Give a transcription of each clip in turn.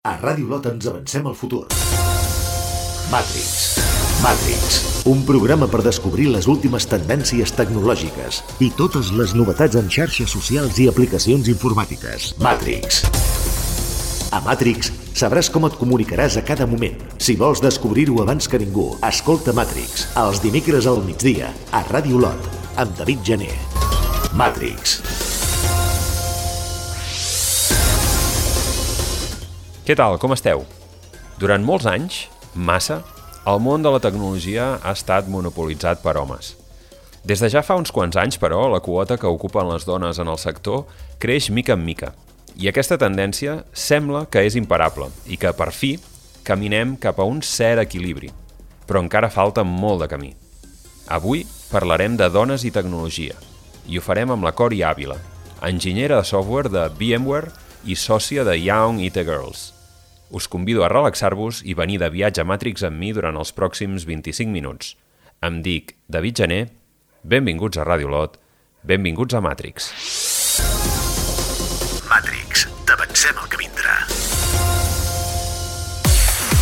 A Ràdio Lot ens avancem al futur. Matrix, un programa per descobrir les últimes tendències tecnològiques i totes les novetats en xarxes socials i aplicacions informàtiques. Matrix. A Matrix sabràs com et comunicaràs a cada moment. Si vols descobrir-ho abans que ningú, escolta Matrix, els dimecres al migdia, a Ràdio Lot, amb David Gené. Matrix. Què tal, com esteu? Durant molts anys, massa, el món de la tecnologia ha estat monopolitzat per homes. Des de ja fa uns quants anys, però, la quota que ocupen les dones en el sector creix mica en mica. I aquesta tendència sembla que és imparable i que, per fi, caminem cap a un cert equilibri. Però encara falta molt de camí. Avui parlarem de dones i tecnologia, i ho farem amb la Cori Ávila, enginyera de software de VMware i sòcia de Young IT Girls. Us convido a relaxar-vos i venir de viatge a Matrix amb mi durant els pròxims 25 minuts. Em dic David Gené, benvinguts a Ràdio Lot, benvinguts a Matrix. Matrix, t'avancem el que vindrà.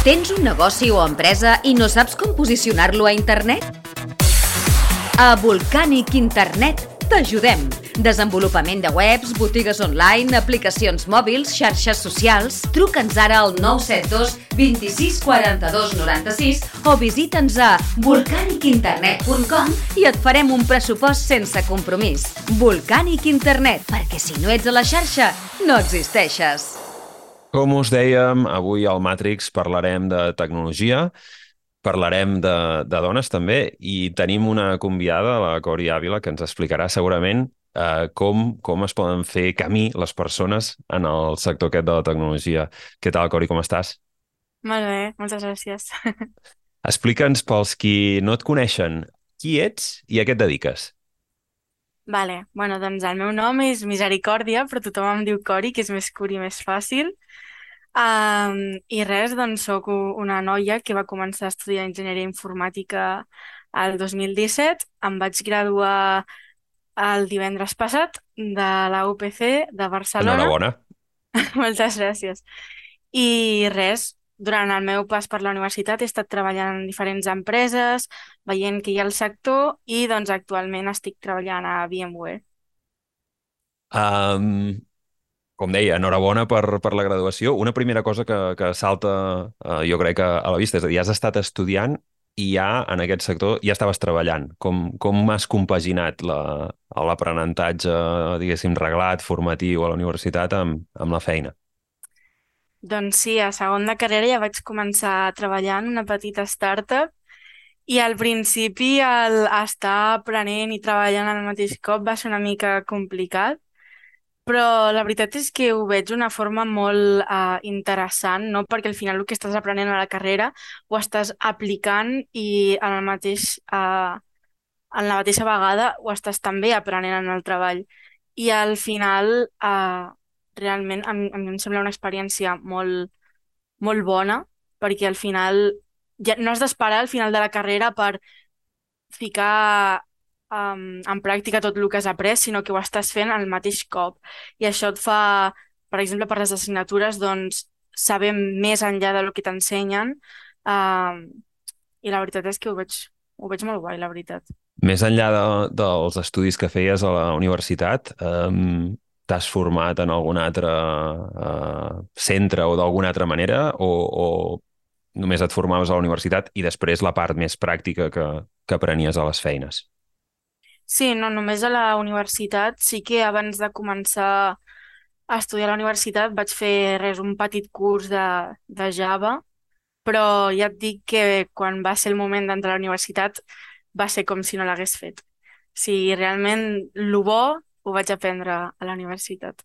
Tens un negoci o empresa i no saps com posicionar-lo a internet? A Volcanic Internet t'ajudem. Desenvolupament de webs, botigues online, aplicacions mòbils, xarxes socials. Truca'ns ara al 972 26 42 96 o visita'ns a volcanicinternet.com i et farem un pressupost sense compromís. Volcanic Internet, perquè si no ets a la xarxa, no existeixes. Com us dèiem, avui al Matrix parlarem de tecnologia, parlarem de dones també, i tenim una convidada, la Cori Ávila, que ens explicarà segurament com es poden fer camí les persones en el sector aquest de la tecnologia. Què tal, Cori, com estàs? Molt bé, moltes gràcies. Explica'ns, pels qui no et coneixen, qui ets i a què et dediques? Vale, bueno, doncs el meu nom és Misericòrdia, però tothom em diu Cori, que és més curt i més fàcil. I res, doncs soc una noia que va començar a estudiar enginyeria informàtica el 2017. Em vaig graduar el divendres passat de la UPC de Barcelona. Enhorabona. Moltes gràcies. I res, durant el meu pas per la universitat he estat treballant en diferents empreses, veient que hi ha el sector, i doncs actualment estic treballant a VMware. Com deia, enhorabona per la graduació. Una primera cosa que salta, jo crec, a la vista, és a dir, has estat estudiant i ja en aquest sector ja estaves treballant. Com has compaginat l'aprenentatge, diguéssim, reglat, formatiu a la universitat amb la feina? Doncs sí, a segon de carrera ja vaig començar a treballar en una petita startup i al principi el estar aprenent i treballant al mateix cop va ser una mica complicat, però la veritat és que ho veig d'una forma molt interessant, no? Perquè al final el que estàs aprenent a la carrera ho estàs aplicant i en la mateixa vegada ho estàs també aprenent en el treball. I al final realment a mi em sembla una experiència molt, molt bona, perquè al final ja no has d'esperar al final de la carrera per ficar en pràctica tot el que has après, sinó que ho estàs fent al mateix cop. I això et fa, per exemple, per les assignatures, doncs, saber més enllà del que t'ensenyen, i la veritat és que ho veig molt guai, la veritat. Més enllà dels estudis que feies a la universitat, t'has format en algun altre centre o d'alguna altra manera, o només et formaves a la universitat i després la part més pràctica que aprenies a les feines? Sí, no, només a la universitat. Sí que abans de començar a estudiar a la universitat vaig fer un petit curs de Java, però ja et dic que quan va ser el moment d'entrar a la universitat va ser com si no l'hagués fet. O sigui, realment, el bo ho vaig aprendre a la universitat.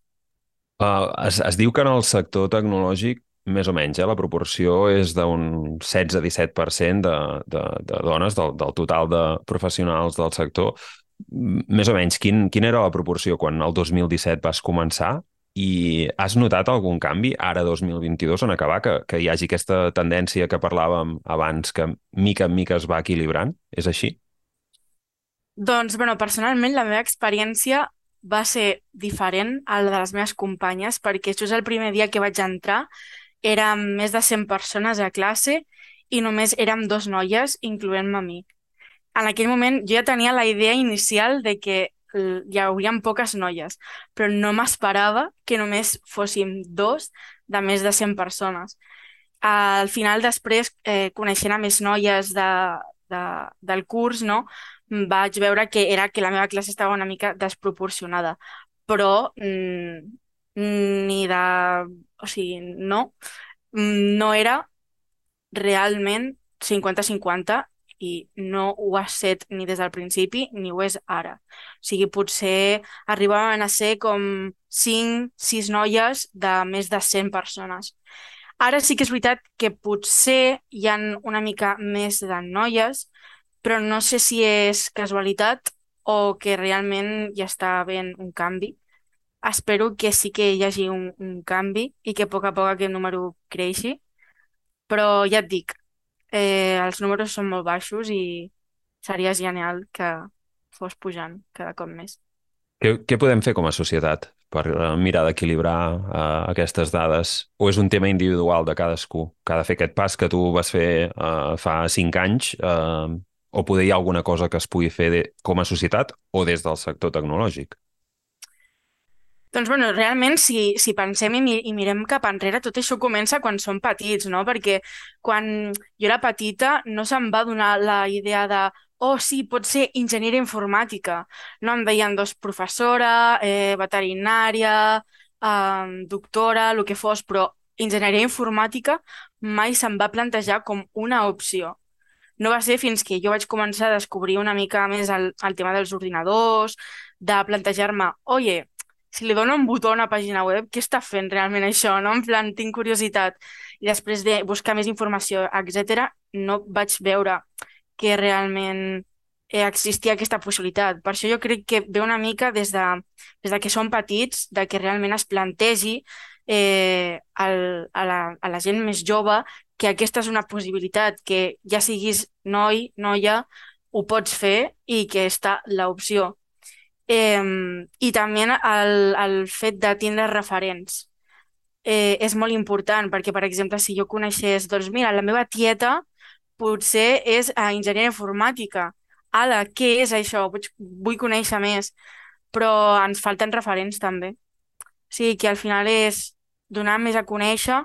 Es diu que en el sector tecnològic, més o menys, la proporció és d'un 16-17% de dones del total de professionals del sector. Més o menys, quina era la proporció quan el 2017 vas començar? I has notat algun canvi ara 2022 en acabar, que hi hagi aquesta tendència que parlàvem abans, que mica en mica es va equilibrant? És així? Doncs, bueno, personalment la meva experiència va ser diferent a la de les meves companyes, perquè just el primer dia que vaig entrar érem més de 100 persones a classe i només érem dos noies, incloent-me a mi. En aquell moment jo ja tenia la idea inicial de que hi haurien poques noies, però no m'esperava que només fóssim dos de més de 100 persones. Al final, després, coneixent a més noies de, del curs, no? Vaig veure que era que la meva classe estava una mica desproporcionada, però ni de... O sigui, no, no era realment 50-50 i no ho ha set ni des del principi ni ho és ara. O sigui, potser arribaven a ser com 5-6 noies de més de 100 persones. Ara sí que és veritat que potser hi han una mica més de noies, però no sé si és casualitat o que realment hi està havent un canvi. Espero que sí que hi hagi un canvi i que a poc aquest número creixi, però ja et dic, els números són molt baixos i seria genial que fos pujant cada cop més. Què podem fer com a societat per mirar d'equilibrar aquestes dades? O és un tema individual de cadascú, que ha de fer aquest pas que tu vas fer fa 5 anys, o poder hi ha alguna cosa que es pugui fer com a societat o des del sector tecnològic? Doncs, bueno, realment, si pensem i mirem cap enrere, tot això comença quan som petits, no? Perquè quan jo era petita no se'm va donar la idea de oh, sí, pot ser enginyeria informàtica. No em deien doncs professora, veterinària, doctora, el que fos, però enginyeria informàtica mai se'm va plantejar com una opció. No va ser fins que jo vaig començar a descobrir una mica més el tema dels ordinadors, de plantejar-me, oye, si li dono un botó a una pàgina web, què està fent realment això, no? En plan, tinc curiositat. I després de buscar més informació, etc., no vaig veure que realment existia aquesta possibilitat. Per això jo crec que ve una mica des de que som petits, de que realment es plantegi a la gent més jove que aquesta és una possibilitat, que ja siguis noi, noia, ho pots fer i que està l'opció. I també el fet de tindre referents és molt important perquè, per exemple, si jo coneixés, doncs mira, la meva tieta potser és enginyera informàtica. Ala, què és això? Vull conèixer més, però ens falten referents també. O sigui que al final és donar més a conèixer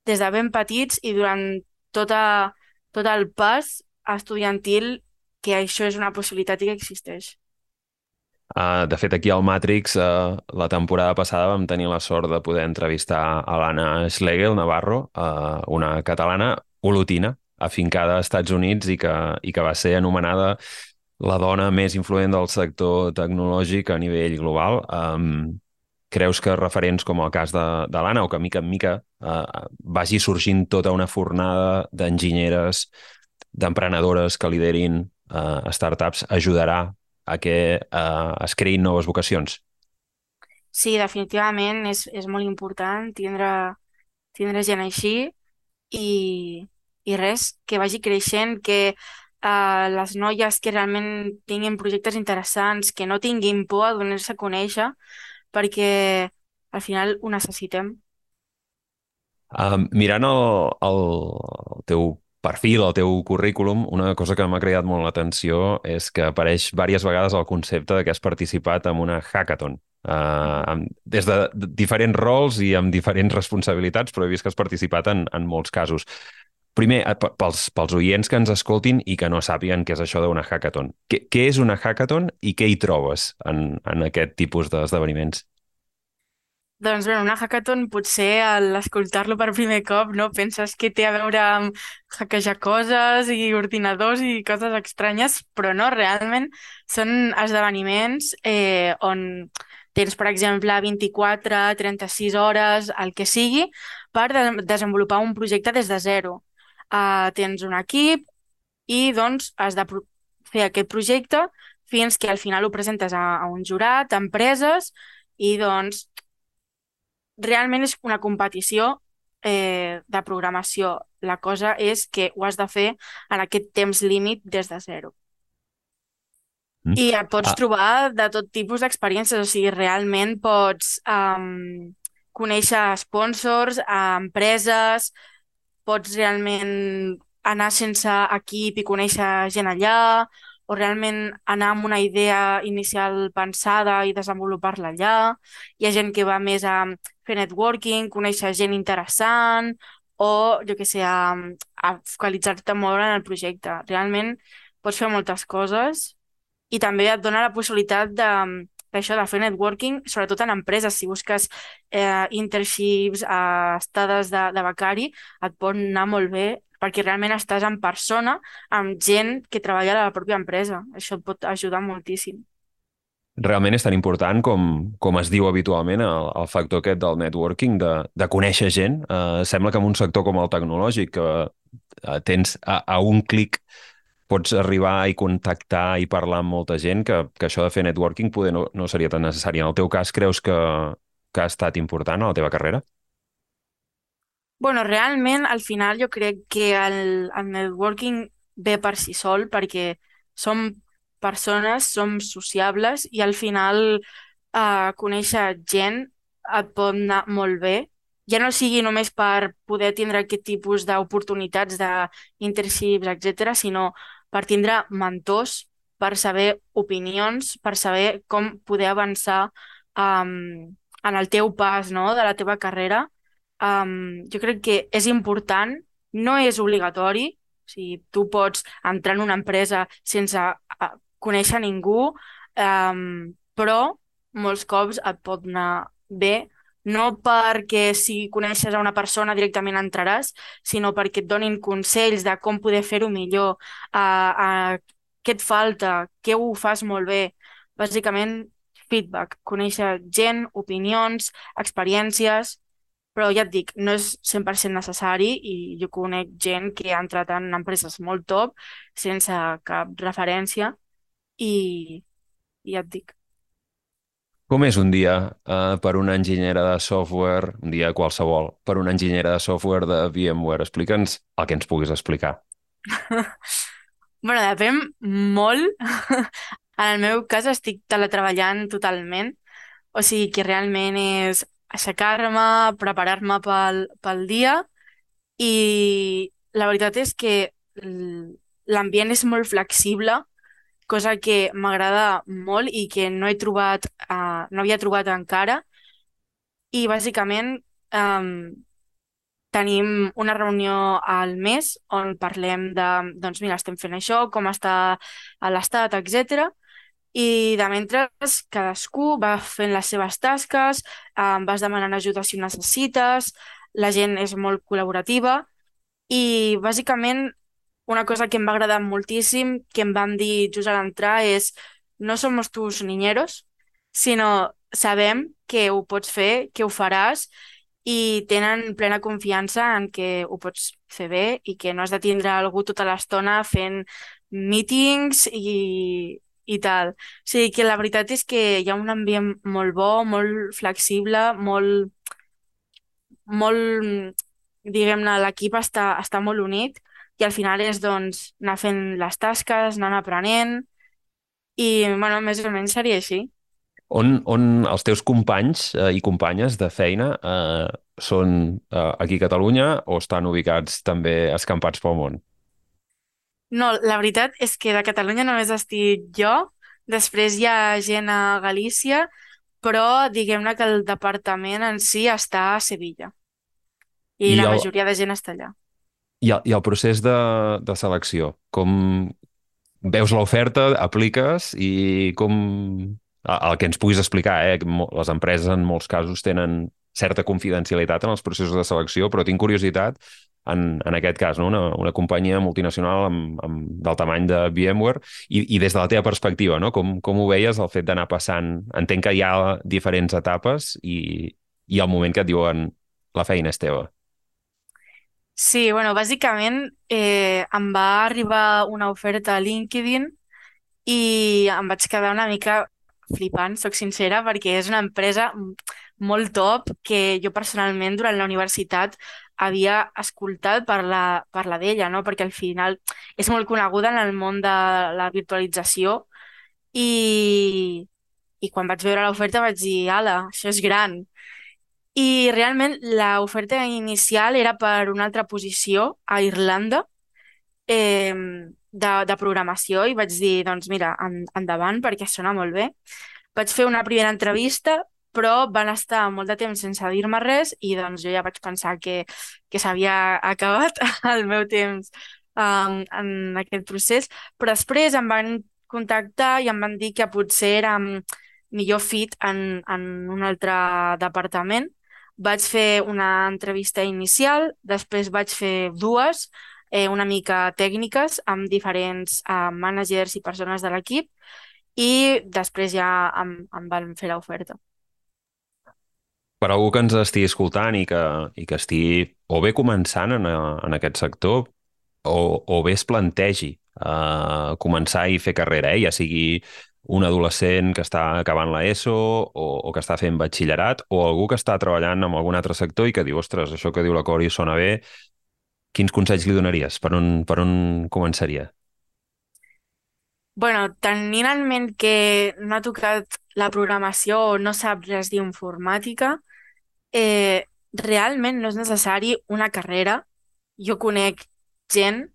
des de ben petits i durant tot el pas estudiantil que això és una possibilitat i que existeix. De fet, aquí al Matrix, la temporada passada vam tenir la sort de poder entrevistar a l'Anna Schlegel Navarro, una catalana olotina, afincada als Estats Units i que va ser anomenada la dona més influent del sector tecnològic a nivell global. Creus que referents com el cas de l'Anna, o que mica en mica vagi sorgint tota una fornada d'enginyeres, d'emprenedores que liderin startups, ajudarà a que es creïn noves vocacions? Sí, definitivament és molt important tindre gent així i, i res, que vagi creixent, que les noies que realment tinguin projectes interessants, que no tinguin por a donar-se a conèixer, perquè al final ho necessitem. Mirant el teu perfil, el teu currículum, una cosa que m'ha cridat molt l'atenció és que apareix diverses vegades el concepte de que has participat en una hackathon. Des de diferents rols i amb diferents responsabilitats, però he vist que has participat en molts casos. Primer, pels oients que ens escoltin i que no sàpiguen què és això d'una hackathon. Què és una hackathon i què hi trobes en aquest tipus d'esdeveniments? Doncs bé, una hackathon potser al escoltar-lo per primer cop no penses que té a veure amb hackejar coses i ordinadors i coses estranyes, però no, realment són esdeveniments on tens, per exemple, 24-36 hores, el que sigui, per desenvolupar un projecte des de zero. Tens un equip i doncs has de fer aquest projecte fins que al final ho presentes a un jurat, a empreses, i doncs realment és una competició de programació. La cosa és que ho has de fer en aquest temps límit des de zero. I et pots trobar de tot tipus d'experiències, o sigui, realment pots conèixer sponsors, empreses, pots realment anar sense equip i conèixer gent allà, o realment anar amb una idea inicial pensada i desenvolupar-la allà. Hi ha gent que va més a fer networking, conèixer gent interessant, o, jo què sé, a focalitzar-te molt en el projecte. Realment pots fer moltes coses i també et dona la possibilitat d'això, de fer networking, sobretot en empreses. Si busques internships, estades de becari, et pot anar molt bé perquè realment estàs en persona amb gent que treballa a la pròpia empresa. Això et pot ajudar moltíssim. Realment és tan important com es diu habitualment el factor aquest del networking, de conèixer gent. Sembla que en un sector com el tecnològic, que tens a un clic pots arribar i contactar i parlar amb molta gent, que això de fer networking poder no seria tan necessari. En el teu cas, creus que ha estat important a la teva carrera? Bueno, realment, al final jo crec que el networking ve per si sol perquè som persones, som sociables i al final conèixer gent et pot anar molt bé. Ja no sigui només per poder tindre aquest tipus d'oportunitats d'internships, etc., sinó per tindre mentors, per saber opinions, per saber com poder avançar en el teu pas, no?, de la teva carrera. Jo crec que és important, no és obligatori, o sigui, tu pots entrar en una empresa sense conèixer ningú, però molts cops et pot anar bé, no perquè si coneixes a una persona directament entraràs, sinó perquè et donin consells de com poder fer-ho millor, què et falta, què ho fas molt bé. Bàsicament, feedback, conèixer gent, opinions, experiències, però ja et dic, no és 100% necessari i jo conec gent que ha entrat en empreses molt top sense cap referència i, i ja et dic. Com és un dia per una enginyera de software, un dia qualsevol, per una enginyera de software de VMware? Explica'ns el que ens puguis explicar. Bueno, depèn molt. En el meu cas estic teletreballant totalment, o sigui que realment és aixecar-me, preparar-me pel dia i la veritat és que l'ambient és molt flexible, cosa que m'agrada molt i que no he trobat, no havia trobat encara. I bàsicament tenim una reunió al mes on parlem de, doncs mira, estem fent això, com està a l'estat, etc. I de mentre cadascú va fent les seves tasques, vas demanant ajuda si ho necessites, la gent és molt col·laborativa i bàsicament una cosa que em va agradar moltíssim, que em van dir just a l'entrar, és no somos tus niñeros, sinó sabem que ho pots fer, que ho faràs i tenen plena confiança en que ho pots fer bé i que no has de tindre algú tota l'estona fent meetings i tal. O sigui que la veritat és que hi ha un ambient molt bo, molt flexible, molt, diguem-ne, l'equip està molt unit i al final és doncs anar fent les tasques, anar aprenent i, bueno, més o menys seria així. On els teus companys i companyes de feina són aquí a Catalunya o estan ubicats també escampats pel món? No, la veritat és que de Catalunya només estic jo, després hi ha gent a Galícia, però diguem-ne que el departament en si està a Sevilla i I la el, majoria de gent està allà. i el procés de selecció, com veus l'oferta, apliques i com... El que ens puguis explicar, que les empreses en molts casos tenen certa confidencialitat en els processos de selecció, però tinc curiositat en aquest cas, no? Una companyia multinacional del tamany de VMware i des de la teva perspectiva, no? Com ho veies el fet d'anar passant? Entenc que hi ha diferents etapes i el moment que et diuen la feina és teva. Sí, bueno, bàsicament em va arribar una oferta a LinkedIn i em vaig quedar una mica flipant, soc sincera, perquè és una empresa molt top que jo personalment durant la universitat havia escoltat parlar d'ella, no? Perquè al final és molt coneguda en el món de la virtualització i quan vaig veure l'oferta vaig dir, ala, això és gran. I realment l'oferta inicial era per una altra posició a Irlanda, de programació, i vaig dir, doncs mira, endavant, perquè sona molt bé. Vaig fer una primera entrevista, però van estar molt de temps sense dir-me res i doncs jo ja vaig pensar que s'havia acabat el meu temps en aquest procés, però després em van contactar i em van dir que potser era millor fit en un altre departament. Vaig fer una entrevista inicial, després vaig fer dues, una mica tècniques amb diferents managers i persones de l'equip, i després ja em van fer l'oferta. Per algú que ens estigui escoltant i que estigui o bé començant en aquest sector o bé es plantegi començar i fer carrera, ja sigui un adolescent que està acabant l'ESO o que està fent batxillerat o algú que està treballant en algun altre sector i que diu, ostres, això que diu la Cori sona bé, quins consells li donaries? Per on començaria? Bueno, tenint en ment que no ha tocat la programació o no sap res d'informàtica, realment no és necessari una carrera. Jo conec gent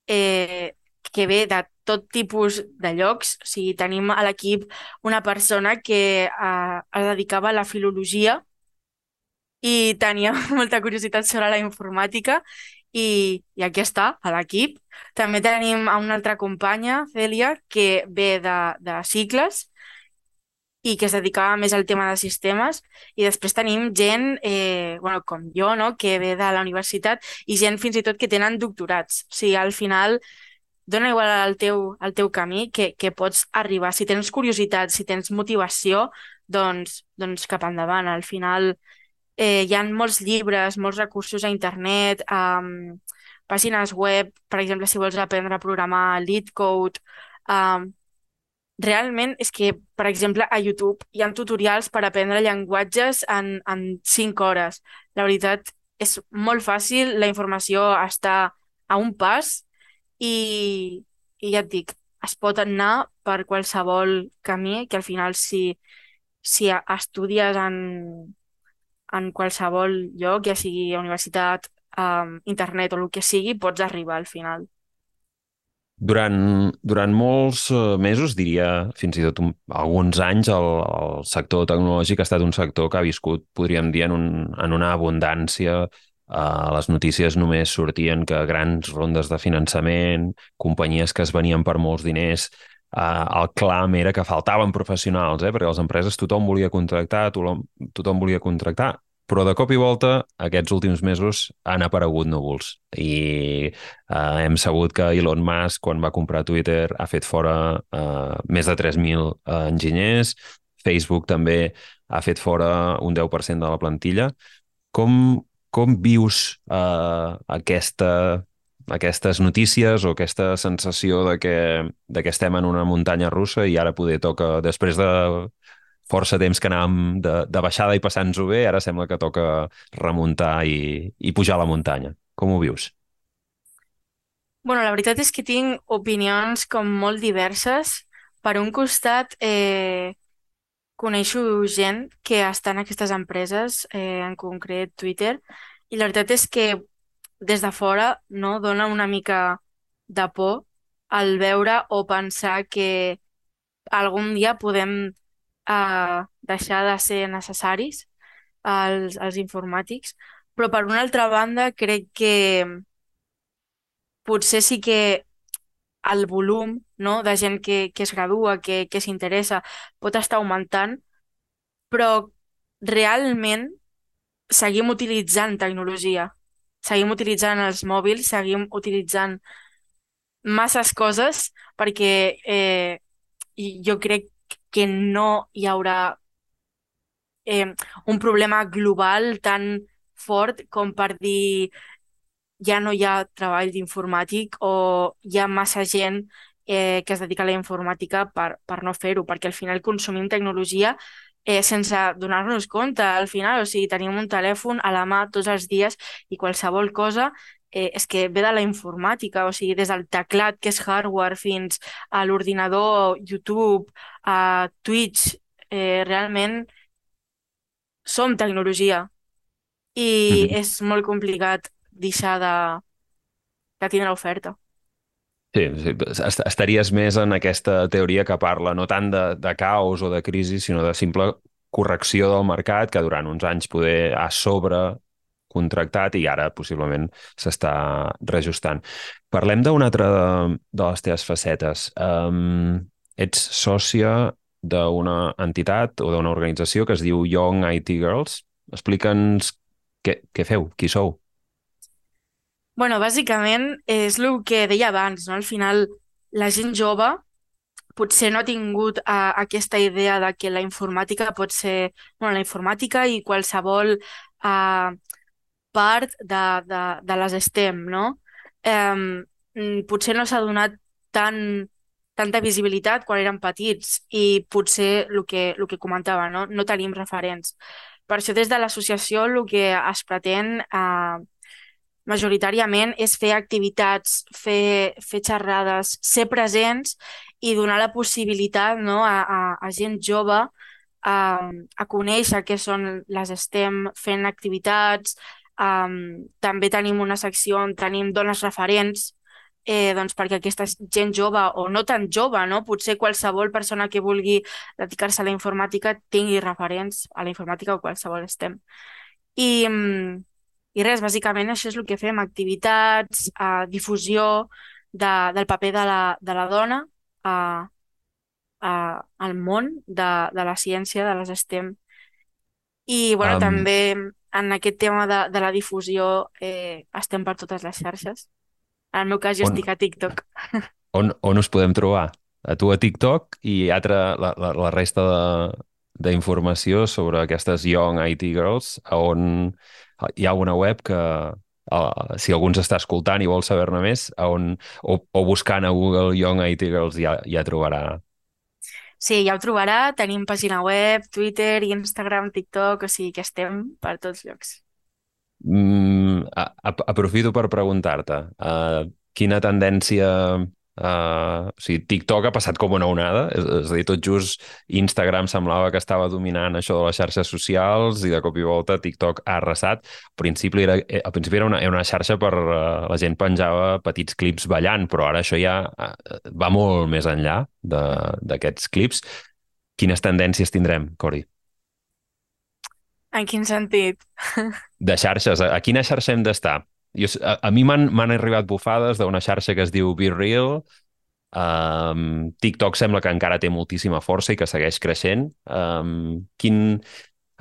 que ve de tot tipus de llocs. O sigui, tenim a l'equip una persona que es dedicava a la filologia i tenia molta curiositat sobre la informàtica, i aquí està, a l'equip. També tenim a una altra companya, Cèlia, que ve de cicles i que es dedicava més al tema de sistemes, i després tenim gent, bueno, com jo, no?, que ve de la universitat, i gent fins i tot que tenen doctorats. O sigui, al final dona igual el teu camí, que pots arribar. Si tens curiositat, si tens motivació, doncs cap endavant. Al final hi ha molts llibres, molts recursos a internet, pàgines web, per exemple, si vols aprendre a programar, LeetCode. Realment és que, per exemple, a YouTube hi ha tutorials per aprendre llenguatges en 5 hores. La veritat, és molt fàcil, la informació està a un pas, i ja et dic, es pot anar per qualsevol camí, que al final si estudies en qualsevol lloc, ja sigui universitat, internet o el que sigui, pots arribar al final. Durant molts mesos, diria fins i tot alguns anys, el sector tecnològic ha estat un sector que ha viscut, podríem dir, en una abundància. A les notícies només sortien que grans rondes de finançament, companyies que es venien per molts diners. El clam era que faltaven professionals, perquè les empreses tothom volia contractar, tothom volia contractar, però de cop i volta aquests últims mesos han aparegut núvols i hem sabut que Elon Musk, quan va comprar Twitter, ha fet fora més de 3.000 enginyers. Facebook també ha fet fora un 10% de la plantilla. Com vius aquestes notícies o aquesta sensació de que estem en una muntanya russa i ara poder toca, després de força temps que anàvem de baixada i passant-nos-ho bé, ara sembla que toca remuntar i pujar la muntanya. Com ho vius? Bueno, la veritat és que tinc opinions com molt diverses. Per un costat, coneixo gent que està en aquestes empreses, en concret Twitter, i la veritat és que des de fora, no, dona una mica de por al veure o pensar que algun dia podem deixar de ser necessaris els informàtics, però per una altra banda crec que potser sí que el volum, no, de gent que es gradua, que s'interessa, pot estar augmentant, però realment seguim utilitzant tecnologia, seguim utilitzant els mòbils, seguim utilitzant masses coses, perquè jo crec que no hi haurà un problema global tan fort com per dir ja no hi ha treball d'informàtic o hi ha massa gent que es dedica a la informàtica per no fer-ho, perquè al final consumim tecnologia sense donar-nos compte. Al final, o sigui, tenim un telèfon a la mà tots els dies i qualsevol cosa és que ve de la informàtica, o sigui, des del teclat, que és hardware, fins a l'ordinador, YouTube, a Twitch, realment som tecnologia. i Mhm. és molt complicat deixar de tindre l'oferta. Sí, sí, estaries més en aquesta teoria que parla no tant de caos o de crisi, sinó de simple correcció del mercat que durant uns anys poder a sobre contractat i ara possiblement s'està reajustant. Parlem d'una altra de les teves facetes. Ets sòcia d'una entitat o d'una organització que es diu Young IT Girls. Explica'ns què feu, qui sou. Bueno, bàsicament és el que deia abans, no? Al final, la gent jove potser no ha tingut aquesta idea de que la informàtica pot ser, bueno, la informàtica i qualsevol part de les STEM, no? Potser no s'ha donat tanta visibilitat quan érem petits i potser el que comentava, no? No tenim referents. Per això des de l'associació el que es pretén majoritàriament és fer activitats, fer xerrades, ser presents i donar la possibilitat, no, a gent jove a conèixer què són les STEM fent activitats. També tenim una secció on tenim dones referents, doncs perquè aquesta gent jove o no tan jove, no? Potser qualsevol persona que vulgui dedicar-se a la informàtica tingui referents a la informàtica o qualsevol STEM. I, i res, bàsicament això és el que fem, activitats, difusió del paper de la dona al món de la ciència, de les STEM. I bueno, Um, també en aquest tema de la difusió estem per totes les xarxes. En el meu cas jo on, estic a TikTok. on us podem trobar? A tu a TikTok i la resta d'informació sobre aquestes Young IT Girls, a on hi ha una web que, si algú ens està escoltant i vol saber-ne més, o buscant a Google Young IT Girls ja trobarà. Sí, ja ho trobarà, tenim pàgina web, Twitter, Instagram, TikTok, o sigui que estem per tots llocs. Aprofito per preguntar-te, quina tendència... o sigui, TikTok ha passat com una onada, és a dir, tot just Instagram semblava que estava dominant això de les xarxes socials i de cop i volta TikTok ha arrasat. Al principi era una xarxa per... la gent penjava petits clips ballant, però ara això ja va molt més enllà d'aquests clips. Quines tendències tindrem, Cori? En quin sentit? De xarxes, a quina xarxa hem d'estar? A mi m'han arribat bufades d'una xarxa que es diu Be Real. TikTok sembla que encara té moltíssima força i que segueix creixent. A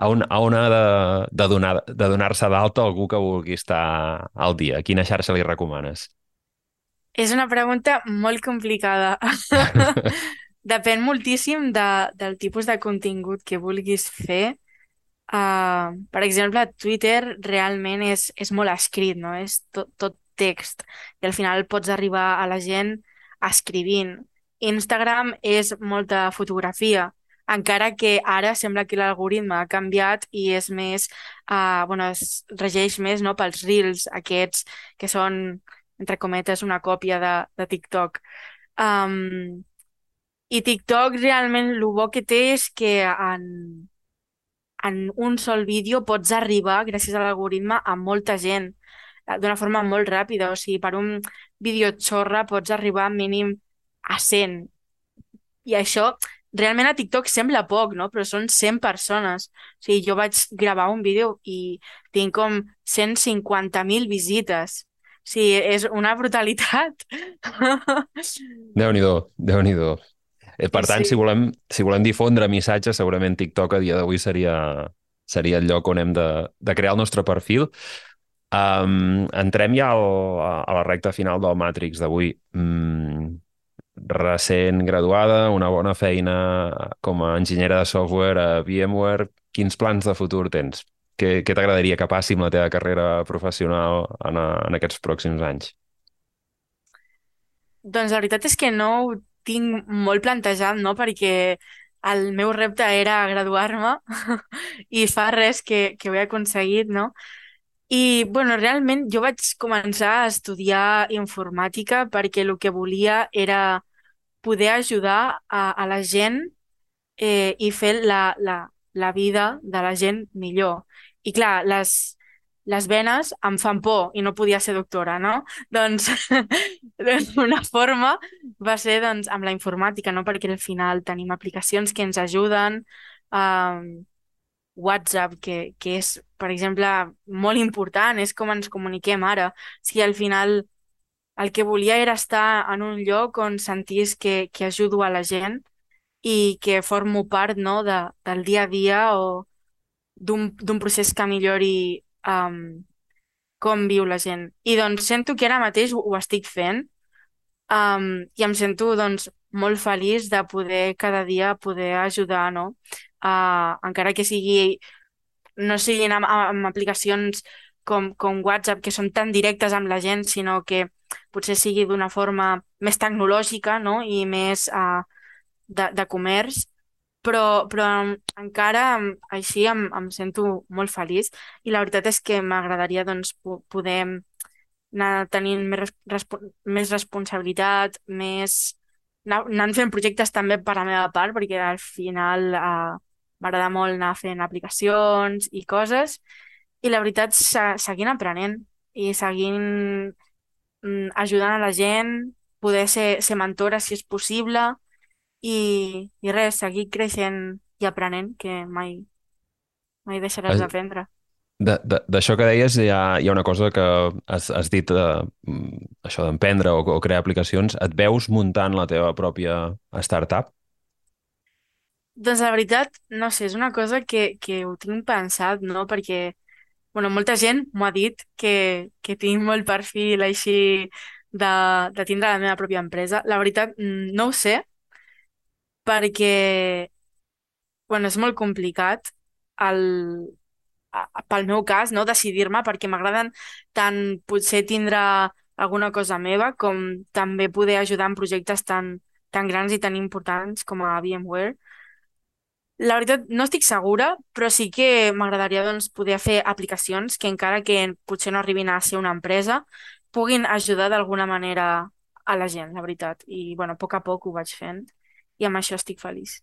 on ha de donar-se d'alta algú que vulgui estar al dia? A quina xarxa li recomanes? És una pregunta molt complicada. Depèn moltíssim del tipus de contingut que vulguis fer. Per exemple, Twitter realment és molt escrit, no? És tot text. I al final pots arribar a la gent escrivint. Instagram és molta fotografia, encara que ara sembla que l'algoritme ha canviat i és més, bueno, es regeix més, no, pels Reels, aquests que són, entre cometes, una còpia de TikTok. Um, I TikTok realment el bo que té és que en un sol vídeo pots arribar, gràcies a l'algoritme, a molta gent d'una forma molt ràpida. O sigui, per un vídeo xorra pots arribar mínim a 100. I això realment a TikTok sembla poc, no? Però són 100 persones. O sigui, jo vaig gravar un vídeo i tinc com 150.000 visites. O sigui, és una brutalitat. Déu-n'hi-do, Déu-n'hi-do. Per tant, si Sí. volem, si volem difondre missatges, segurament TikTok a dia d'avui seria el lloc on hem de crear el nostre perfil. Entrem ja a la recta final del Matrix d'avui. Recent graduada, una bona feina com a enginyera de software a VMware. Quins plans de futur tens? Què t'agradaria que passi amb la teva carrera professional en aquests pròxims anys? Doncs la veritat és que no ho tinc molt plantejat, no? Perquè el meu repte era graduar-me i fa res que ho he aconseguit, no? I, bueno, realment jo vaig començar a estudiar informàtica perquè el que volia era poder ajudar a la gent i fer la vida de la gent millor. I clar, les venes em fan por i no podia ser doctora, no? Doncs una forma va ser doncs, amb la informàtica, no? Perquè al final tenim aplicacions que ens ajuden, WhatsApp, que és, per exemple, molt important, és com ens comuniquem ara. O sigui, al final el que volia era estar en un lloc on sentís que ajudo a la gent i que formo part, no, del dia a dia o d'un procés que millori com viu la gent. I doncs sento que ara mateix ho estic fent i em sento doncs molt feliç de poder cada dia poder ajudar, no? Encara que no siguin amb aplicacions com WhatsApp, que són tan directes amb la gent, sinó que potser sigui d'una forma més tecnològica, no? I més de comerç, però encara així em sento molt feliç i la veritat és que m'agradaria doncs, poder anar tenint més responsabilitat, anant fent projectes també per la meva part, perquè al final m'agrada molt anar fent aplicacions i coses, i la veritat seguint aprenent i seguint ajudant a la gent, poder ser mentora si és possible, i res, seguir creixent i aprenent, que mai deixaràs d'aprendre. D'això que deies, hi ha una cosa que has dit, això d'emprendre o crear aplicacions. Et veus muntant la teva pròpia startup? Doncs la veritat, no sé, és una cosa que ho tinc pensat, no? Perquè, molta gent m'ho ha dit que tinc molt perfil així de tindre la meva pròpia empresa. La veritat, no ho sé, perquè és molt complicat pel meu cas, no, decidir-me, perquè m'agraden tant potser tindre alguna cosa meva com també poder ajudar en projectes tan grans i tan importants com a VMware. La veritat, no estic segura, però sí que m'agradaria doncs, poder fer aplicacions que encara que potser no arribin a ser una empresa, puguin ajudar d'alguna manera a la gent, la veritat. I, a poc a poc ho vaig fent i amb això estic feliç.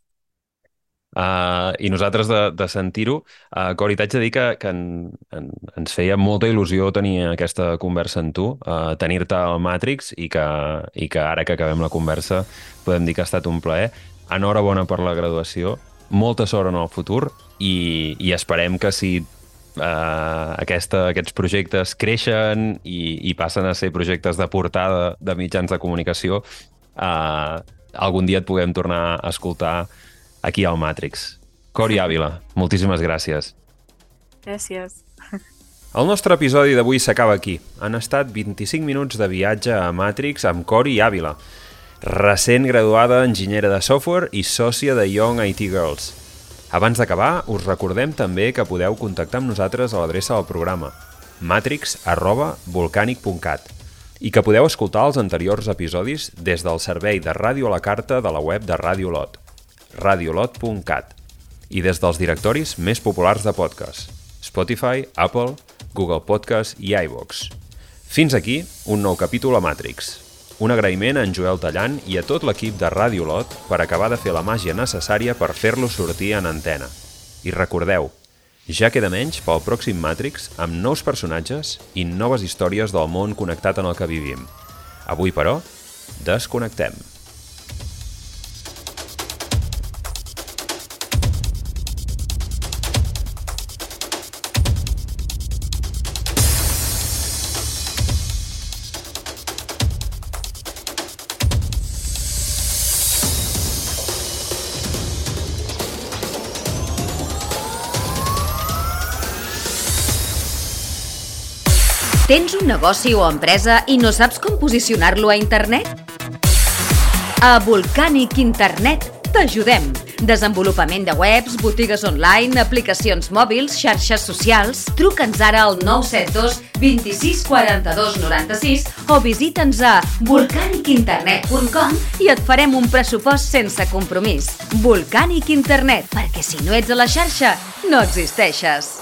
I nosaltres de sentir-ho, Cori, t'haig de dir que ens feia molta il·lusió tenir aquesta conversa amb tu, tenir-te al Matrix i que ara que acabem la conversa podem dir que ha estat un plaer. Enhorabona per la graduació, molta sort en el futur i esperem que si aquests projectes creixen i passen a ser projectes de portada de mitjans de comunicació, algun dia et puguem tornar a escoltar aquí al Matrix. Cori Àvila, moltíssimes gràcies. Gràcies. El nostre episodi d'avui s'acaba aquí. Han estat 25 minuts de viatge a Matrix amb Cori Àvila, recent graduada enginyera de software i sòcia de Young IT Girls. Abans d'acabar, us recordem també que podeu contactar amb nosaltres a l'adreça del programa matrix@volcanic.cat i que podeu escoltar els anteriors episodis des del servei de ràdio a la carta de la web de Radio Lot, radiolot.cat, i des dels directoris més populars de podcast, Spotify, Apple, Google Podcast i iVoox. Fins aquí un nou capítol a Matrix. Un agraïment a en Joel Tallant i a tot l'equip de Radio Lot per acabar de fer la màgia necessària per fer-lo sortir en antena. I recordeu, ja queda menys pel pròxim Matrix amb nous personatges i noves històries del món connectat en el que vivim. Avui, però, desconnectem. Tens un negoci o empresa i no saps com posicionar-lo a internet? A Volcanic Internet t'ajudem. Desenvolupament de webs, botigues online, aplicacions mòbils, xarxes socials. Truca'ns ara al 972 26 42 96 o visita'ns a volcanicinternet.com i et farem un pressupost sense compromís. Volcanic Internet, perquè si no ets a la xarxa, no existeixes.